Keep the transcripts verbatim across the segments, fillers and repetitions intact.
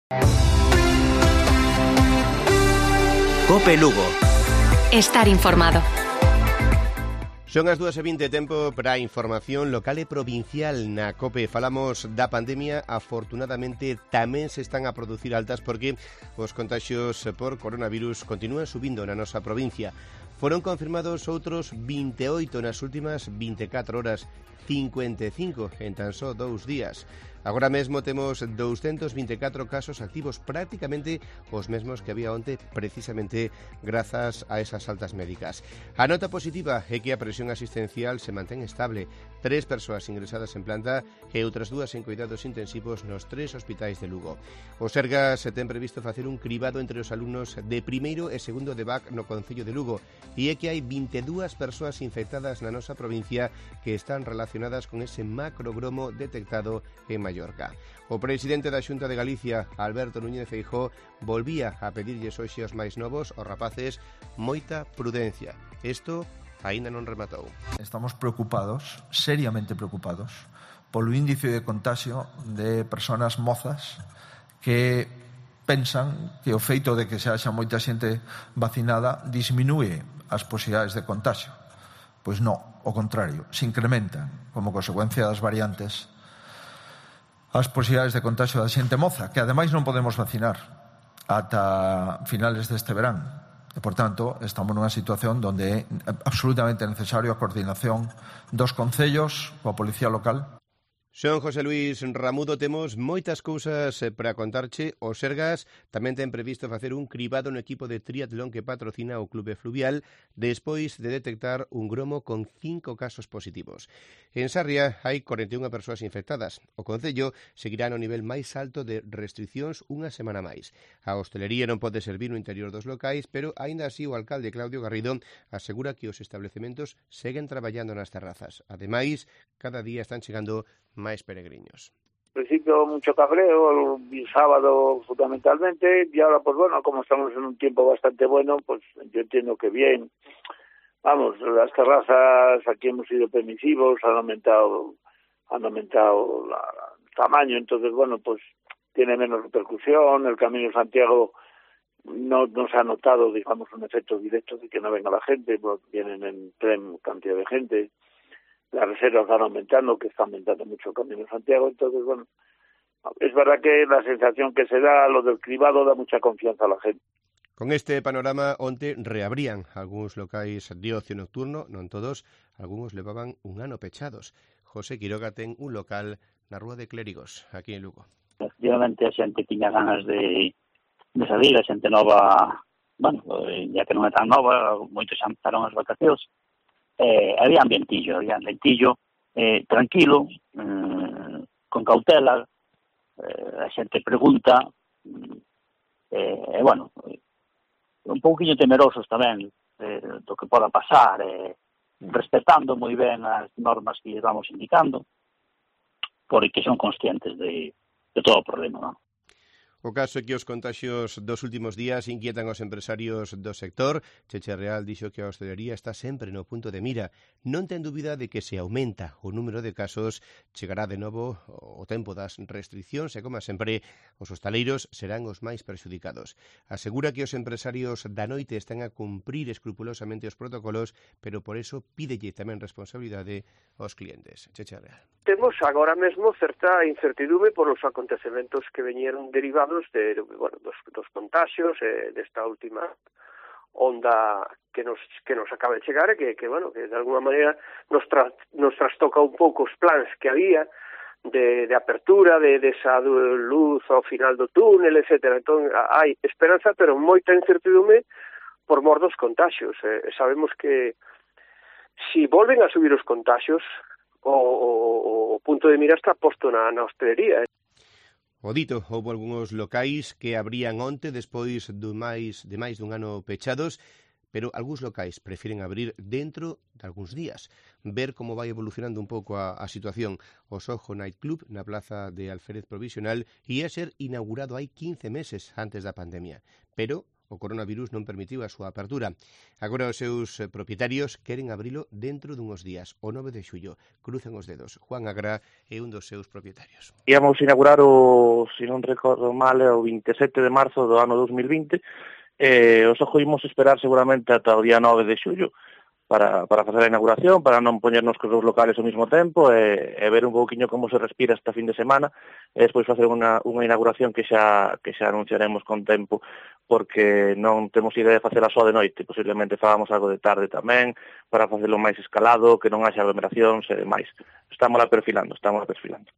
Cope Lugo. Estar informado. Son as dúas e vinte, tempo para a información local e provincial na COPE. Falamos da pandemia, afortunadamente tamén se están a producir altas porque os contaxios por coronavirus continúan subindo na nosa provincia. Foron confirmados outros vinte e oito nas últimas vinte e catro horas, cincuenta e cinco en tan só dous días. Agora mesmo temos doscientos vinte e catro casos activos, prácticamente os mesmos que había onte, precisamente grazas a esas altas médicas. A nota positiva é que a presión asistencial se mantén estable. Tres persoas ingresadas en planta e outras dúas en cuidados intensivos nos tres hospitais de Lugo. O Sergas ten previsto facer un cribado entre os alumnos de primeiro e segundo de B A C no Concello de Lugo e é que hai vinte e dúas persoas infectadas na nosa provincia que están relacionadas con ese macrogromo detectado en Mallorca. O presidente da Xunta de Galicia, Alberto Núñez Feijóo, volvía a pedirlles hoxe aos máis novos, aos rapaces, moita prudencia. Isto aínda non rematou. Estamos preocupados, seriamente preocupados, polo índice de contagio de persoas mozas que pensan que o feito de que se haxa moita xente vacinada disminúe as posibilidades de contagio. Pois non, ao contrario, se incrementan como consecuencia das variantes as posibilidades de contagio da xente moza, que ademais non podemos vacinar ata finales deste verán. E, por tanto, estamos nunha situación onde é absolutamente necesario a coordinación dos concellos coa Policía Local. Son José Luís Ramudo, temos moitas cousas para contarche. O Sergas tamén ten previsto facer un cribado no equipo de triatlón que patrocina o Clube Fluvial despois de detectar un gromo con cinco casos positivos. En Sarria hai cuarenta e unha persoas infectadas. O Concello seguirá no nivel máis alto de restriccións unha semana máis. A hostelería non pode servir no interior dos locais, pero aínda así o alcalde Claudio Garrido asegura que os establecementos seguen traballando nas terrazas. Ademais, cada día están chegando máis peregrinos. Al principio mucho cabreo, el sábado fundamentalmente, y ahora pues bueno, como estamos en un tiempo bastante bueno, pues yo entiendo que bien. Vamos, las terrazas aquí hemos sido permisivos, han aumentado, han aumentado la, el tamaño, entonces bueno, pues tiene menos repercusión. El Camino de Santiago no, no se ha notado, digamos, un efecto directo de que no venga la gente, pues vienen en tren cantidad de gente. Las reservas van aumentando, que está aumentando mucho el Camino de Santiago, entonces, bueno, es verdad que la sensación que se da, lo del cribado, da mucha confianza a la gente. Con este panorama, onte reabrían algúns locais de ocio nocturno, non todos, algúns levaban un ano pechados. José Quiroga ten un local na Rúa de Clérigos, aquí en Lugo. Efectivamente, a xente tiña ganas de, de salir, a xente nova, bueno, ya que non é tan nova, moitos xa empezaron as vacacións. Eh, había ambientillo, había ambientillo eh, tranquilo, eh, con cautela, eh, a xente pregunta, eh, e, bueno, un pouquinho temerosos tamén eh, do que poda pasar, eh, respetando moi ben as normas que lles vamos indicando, porque son conscientes de, de todo o problema, non? O caso é que os contaxios dos últimos días inquietan os empresarios do sector. Cheche Real dixo que a hostelería está sempre no punto de mira. Non ten dúbida de que se aumenta o número de casos, chegará de novo o tempo das restriccións e, como sempre, os hostaleiros serán os máis perxudicados. Asegura que os empresarios da noite están a cumprir escrupulosamente os protocolos, pero por eso pídelle tamén responsabilidade aos clientes. Cheche Real. Temos agora mesmo certa incertidume por os acontecementos que veñeron derivados de, bueno, dos, dos contagios, eh, desta última onda que nos que nos acaba de chegar e que, que, bueno, que de alguna maneira nos, tra, nos trastoca un pouco os plans que había de, de apertura, de, de esa luz ao final do túnel, etcétera. Entón, hai esperanza, pero moita incertidume por mor dos contagios. Eh, sabemos que si volven a subir os contagios, o, o, o punto de mira está posto na, na hostelería. O dito, houve algúns locais que abrían onte despois do máis, de máis dun ano pechados, pero algúns locais prefiren abrir dentro de algúns días, ver como vai evolucionando un pouco a, a situación. O Soho Night Club na plaza de Alférez Provisional ia ser inaugurado hai quince meses antes da pandemia, pero o coronavirus non permitiu a súa apertura. Agora os seus propietarios queren abrilo dentro dunhos días, o nove de xullo. Cruzan os dedos. Juan Agra é un dos seus propietarios. Íamos inaugurar o, se non recordo mal, o veintisiete de marzo do ano dos mil vinte, e os ojo imos esperar seguramente ata o día nove de xullo para, para facer a inauguración, para non poñernos cos dous locales ao mesmo tempo e, e ver un pouquiño como se respira esta fin de semana e despois facer unha, unha inauguración que xa, que xa anunciaremos con tempo, porque non temos idea de facela só de noite, posiblemente fagamos algo de tarde tamén, para facelo máis escalado, que non haxa aglomeracións e demais. Estamos lá perfilando, estamos lá perfilando.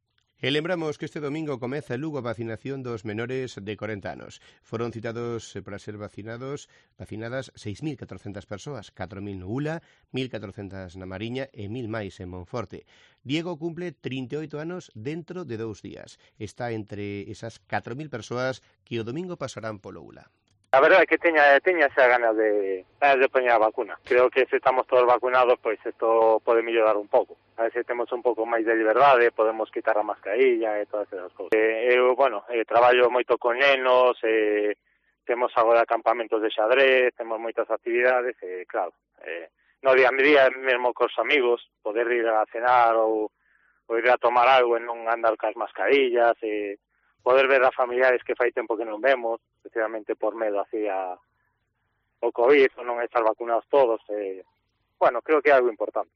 E lembramos que este domingo comeza en Lugo a vacinación dos menores de corenta anos. Foron citados para ser vacinados, vacinadas seis mil catrocentas persoas, catro mil no Ula, mil catrocentas na Mariña e mil máis en Monforte. Diego cumple trinta e oito anos dentro de dous días. Está entre esas catro mil persoas que o domingo pasarán polo Ula. A verdade é que teña, teña esa ganas de, de poñer a vacuna. Creo que se estamos todos vacunados, pois isto pode mellorar un pouco. A ver se temos un pouco máis de liberdade, podemos quitar a mascarilla e todas esas cousas. Eh, eu, bueno, eh, traballo moito con nenos, eh, temos agora campamentos de xadrez, temos moitas actividades, e eh, claro, eh, no día a día, mesmo cos amigos, poder ir a cenar ou, ou ir a tomar algo e non andar cas mascarillas, e eh, poder ver a familiares que fai tempo que non vemos, especialmente por medo hacia o COVID, ou non estar vacunados todos. Eh, bueno, creo que é algo importante.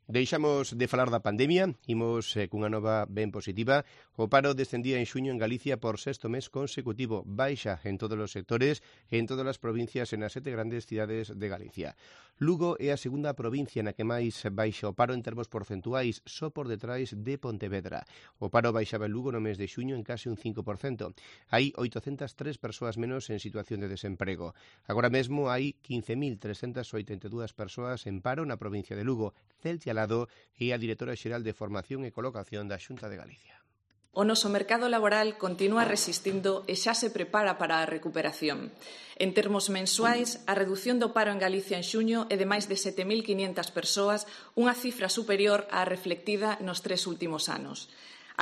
Deixamos de falar da pandemia, imos eh, cunha nova ben positiva. O paro descendía en xuño en Galicia por sexto mes consecutivo, baixa en todos os sectores e en todas as provincias e nas sete grandes cidades de Galicia. Lugo é a segunda provincia na que máis baixa o paro en termos porcentuais, só por detrás de Pontevedra. O paro baixaba en Lugo no mes de xuño en case un cinco por cento. Hai oitocentas tres persoas menos en situación de desemprego. Agora mesmo hai quince mil trescentas oitenta e dúas persoas en paro na provincia de Lugo. Celtia Lado é a directora xeral de Formación e Colocación da Xunta de Galicia. O noso mercado laboral continúa resistindo e xa se prepara para a recuperación. En termos mensuais, a redución do paro en Galicia en xuño é de máis de sete mil quinhentas persoas, unha cifra superior á reflectida nos tres últimos anos.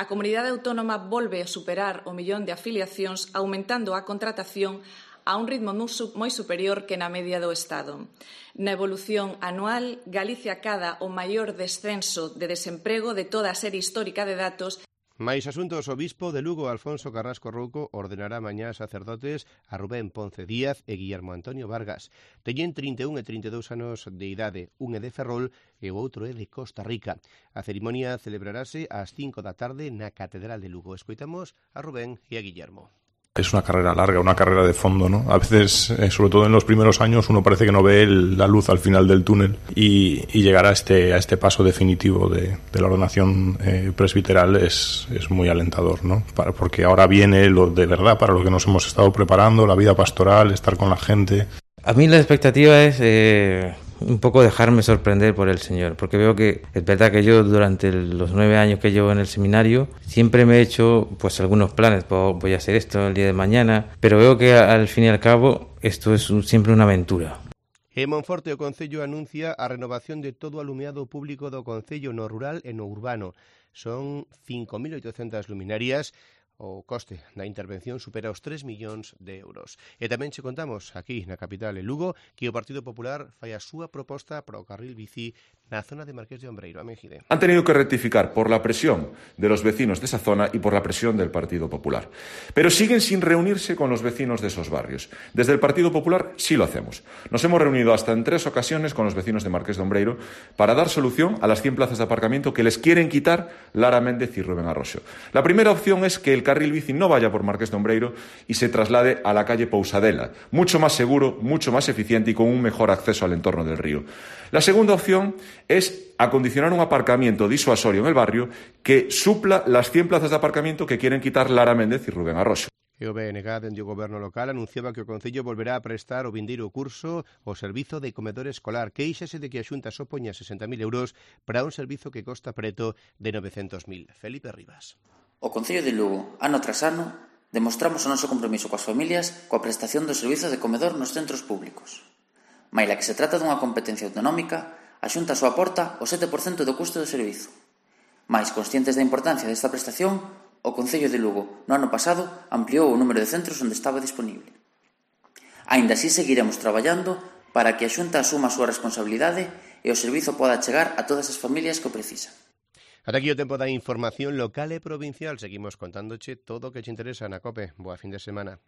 A comunidade autónoma volve a superar o millón de afiliacións, aumentando a contratación a un ritmo moi superior que na media do Estado. Na evolución anual, Galicia acada o maior descenso de desemprego de toda a serie histórica de datos. Mais asuntos, o bispo de Lugo, Alfonso Carrasco Rouco, ordenará mañá sacerdotes a Rubén Ponce Díaz e Guillermo Antonio Vargas. Teñen trinta e un e trinta e dous anos de idade, un é de Ferrol e o outro é de Costa Rica. A cerimonia celebrarase ás cinco da tarde na Catedral de Lugo. Escoitamos a Rubén e a Guillermo. Es una carrera larga, una carrera de fondo, ¿no? A veces, eh, sobre todo en los primeros años, uno parece que no ve el, la luz al final del túnel y, y llegar a este, a este paso definitivo de, de la ordenación eh, presbiteral es, es muy alentador, ¿no? Para, porque ahora viene lo de verdad para lo que nos hemos estado preparando, la vida pastoral, estar con la gente. A mí la expectativa es eh, un poco dejarme sorprender por el Señor, porque veo que es verdad que yo durante los nueve años que llevo en el seminario siempre me he hecho pues algunos planes, pues, voy a hacer esto el día de mañana, pero veo que al fin y al cabo esto es un, siempre una aventura. En Monforte o Concello anuncia a renovación de todo o alumeado público do Concello no rural e no urbano. Son cinco mil oitocentas luminarias. O coste da intervención supera os tres millóns de euros. E tamén che contamos aquí na capital de Lugo que o Partido Popular fai a súa proposta para o carril bici na zona de Marqués de Ombreiro, a Mejide. Han tenido que rectificar por la presión de los vecinos de esa zona y por la presión del Partido Popular. Pero siguen sin reunirse con los vecinos de esos barrios. Desde el Partido Popular sí lo hacemos. Nos hemos reunido hasta en tres ocasiones con los vecinos de Marqués de Ombreiro para dar solución a las cien plazas de aparcamiento que les quieren quitar Lara Méndez y Rubén Arroxo. La primera opción es que el carril bici no vaya por Marqués de Ombreiro y se traslade a la calle Pousadela, mucho más seguro, mucho más eficiente y con un mejor acceso al entorno del río. La segunda opción es acondicionar un aparcamiento disuasorio en el barrio que supla las cien plazas de aparcamiento que quieren quitar Lara Méndez y Rubén Arroxo. E o B N G dende o Goberno local anunciaba que o Concello volverá a prestar o vindeiro curso o servizo de comedor escolar, que queixase de que a Xunta só poña sesenta mil euros para un servizo que costa preto de novecentos mil. Felipe Rivas. O Concello de Lugo, ano tras ano, demostramos o noso compromiso coas familias coa prestación do servizo de comedor nos centros públicos. Maila que se trata dunha competencia autonómica, a Xunta só aporta o sete por cento do custo do servizo. Mais conscientes da importancia desta prestación, o Concello de Lugo, no ano pasado, ampliou o número de centros onde estaba disponible. Aínda así seguiremos traballando para que a Xunta asuma a súa responsabilidade e o servizo poda chegar a todas as familias que o precisan. Ata aquí o tempo da información local e provincial. Seguimos contándoche todo o que te interesa na COPE. Boa fin de semana.